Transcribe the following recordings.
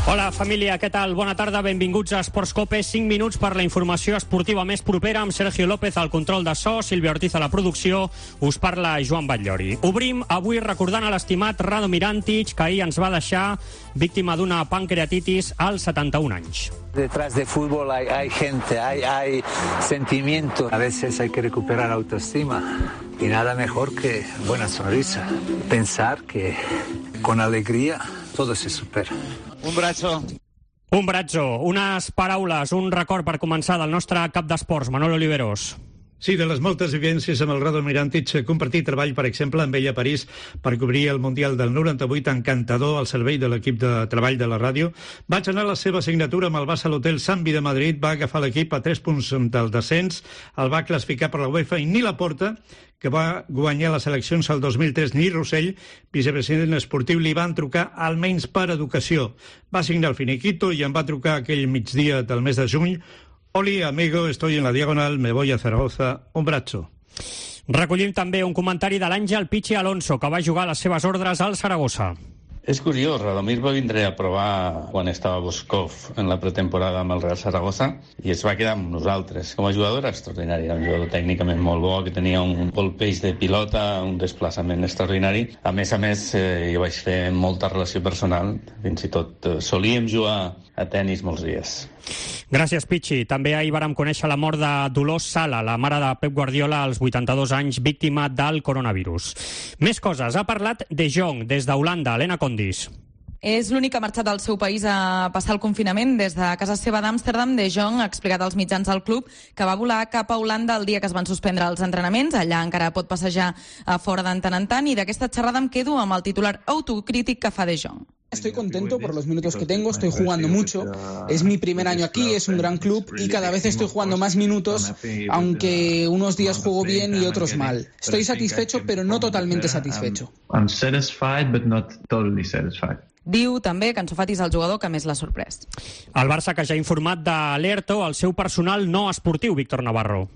Hola, família, què tal? Bona tarda, benvinguts a Esports Cope. 5 minuts per la informació esportiva més propera amb Sergio López al control de so, Sílvia Ortiz a la producció. Us parla Joan Batllori. Obrim avui recordant a l'estimat Radomir Antić, que ahir ens va deixar víctima d'una pancreatitis als 71 anys. Detrás de fútbol hay gente, hay sentimiento. A veces hay que recuperar autoestima y nada mejor que buena sonrisa. Pensar que con alegría todo se supera. Un brazo. Un brazo, unes paraules, un record per començar del nostre cap d'esports, Manolo Oliveros. Sí, de les moltes vivències amb el Radomir Antić, compartir treball, per exemple, amb ell a París per cobrir el Mundial del 98, encantador al servei de l'equip de treball de la ràdio. Vaig anar a la seva signatura amb el Barça a l'hotel Sambi de Madrid, va agafar l'equip a 3 punts del descens, el va classificar per la UEFA i ni Laporta, que va guanyar les eleccions al 2003, ni Rossell, vicepresident esportiu, li van trucar almenys per educació. Va signar el finiquito i em va trucar aquell migdia del mes de juny. Oli, amigo, estoy en la diagonal, me voy a Zaragoza, un brazo. Recollim també un comentari de l'Àngel Pichi Alonso, que va jugar a les seves ordres al Saragossa. És curiós, Radomir va vindre a provar quan estava Boskov en la pretemporada amb el Real Saragossa i es va quedar amb nosaltres. Com a jugador era extraordinari, era un jugador tècnicament molt bo, que tenia un colpeix de pilota, un desplaçament extraordinari. A més, jo vaig fer molta relació personal, fins i tot solíem jugar a tennis molts dies. Gràcies, Pichi. També ahir vàrem conèixer la mort de Dolors Sala, la mare de Pep Guardiola, als 82 anys, víctima del coronavirus. Més coses. Ha parlat De Jong, des d'Holanda. Helena Condis. És l'únic que ha marxat al seu país a passar el confinament. Des de casa seva d'Amsterdam, De Jong ha explicat als mitjans del club que va volar cap a Holanda el dia que es van suspendre els entrenaments. Allà encara pot passejar a fora de tant en tant, i d'aquesta xerrada em quedo amb el titular autocrític que fa De Jong. Estoy contento por los minutos que tengo, estoy jugando mucho, es mi primer año aquí, es un gran club y cada vez estoy jugando más minutos, aunque unos días juego bien y otros mal. Estoy satisfecho, pero no totalmente satisfecho. I'm satisfied, but not totally satisfied. Diu també que Ansu Fati és el jugador que més l'ha sorprès. El Barça, que ja ha informat d'Alerto, el seu personal no esportiu, Víctor Navarro.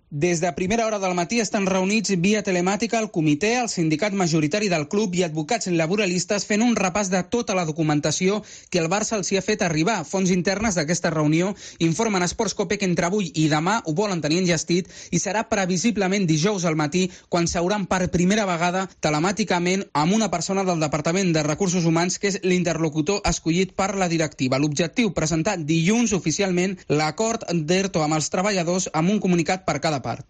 Des de primera hora del matí estan reunits via telemàtica el comitè, el sindicat majoritari del club i advocats laboralistes fent un repàs de tota la documentació que el Barça els hi ha fet arribar. Fonts internes d'aquesta reunió informen a Esports Cope que entre avui i demà ho volen tenir enllestit i serà previsiblement dijous al matí quan s'hauran per primera vegada telemàticament amb una persona del Departament de Recursos Humans que és l'interlocutor escollit per la directiva. L'objectiu, presentar dilluns oficialment l'acord d'ERTO amb els treballadors amb un comunicat per cada part.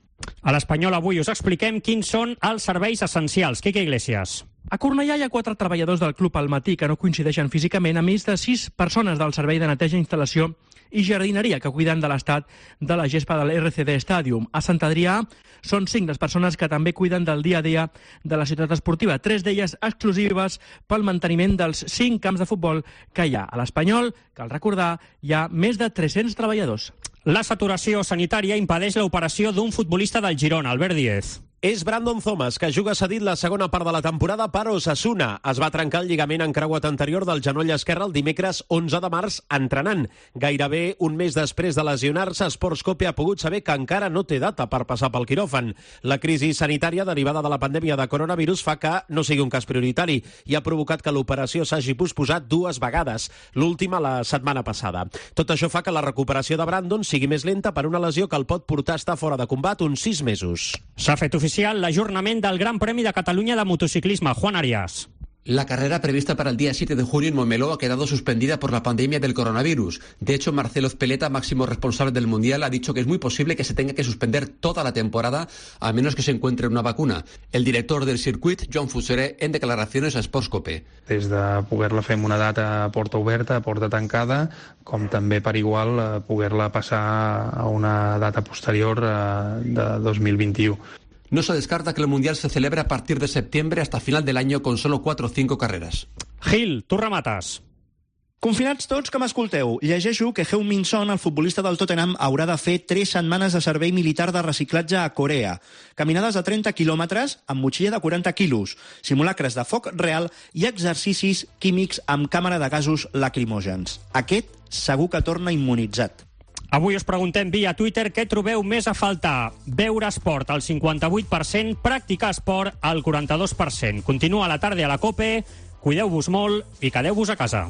A l'Espanyol avui us expliquem quins són els serveis essencials. Quique Iglesias. A Cornellà hi ha 4 treballadors del club al matí que no coincideixen físicament, a més de 6 persones del servei de neteja, instal·lació i jardineria que cuiden de l'estat de la gespa de l'RCD Stadium. A Sant Adrià són 5 les persones que també cuiden del dia a dia de la ciutat esportiva, 3 d'elles exclusives pel manteniment dels 5 camps de futbol que hi ha. A l'Espanyol, cal recordar, hi ha més de 300 treballadors. La saturació sanitària impedeix l'operació d'un futbolista del Girona, Albert Díez. És Brandon Thomas, que juga cedit la segona part de la temporada per Osasuna. Es va trencar el lligament encreuat anterior del genoll esquerre el dimecres 11 de març entrenant. Gairebé un mes després de lesionar-se, Esports Cope ha pogut saber que encara no té data per passar pel quiròfan. La crisi sanitària derivada de la pandèmia de coronavirus fa que no sigui un cas prioritari i ha provocat que l'operació s'hagi posposat 2 vegades, l'última la setmana passada. Tot això fa que la recuperació de Brandon sigui més lenta per una lesió que el pot portar a estar fora de combat uns 6 mesos. S'ha fet oficial l'ajornament del Gran Premi de Catalunya de motociclisme. Juan Arias. La carrera prevista para el día 7 de junio en Montmeló ha quedado suspendida por la pandemia del coronavirus. De hecho, Marcelo Speleta, máximo responsable del Mundial, ha dicho que es muy posible que se tenga que suspender toda la temporada a menos que se encuentre una vacuna. El director del circuit, Joan Fuseré, en declaraciones a Esports Cope. Des de poder-la fer en una data a porta oberta, a porta tancada, com també per igual poder-la passar a una data posterior de 2021. No se descarta que el Mundial se celebre a partir de septiembre hasta final del año con solo 4 o 5 carreras. Gil, tu remates. Confinats tots que m'escolteu, llegeixo que Heung-min Son, el futbolista del Tottenham, haurà de fer 3 setmanes de servei militar de reciclatge a Corea. Caminades de 30 quilòmetres amb motxilla de 40 quilos, simulacres de foc real i exercicis químics amb càmera de gasos lacrimògens. Aquest segur que torna immunitzat. Avui us preguntem via Twitter què trobeu més a faltar. Veure esport al 58%, practicar esport al 42%. Continua la tarda a la COPE, cuideu-vos molt i quedeu-vos a casa.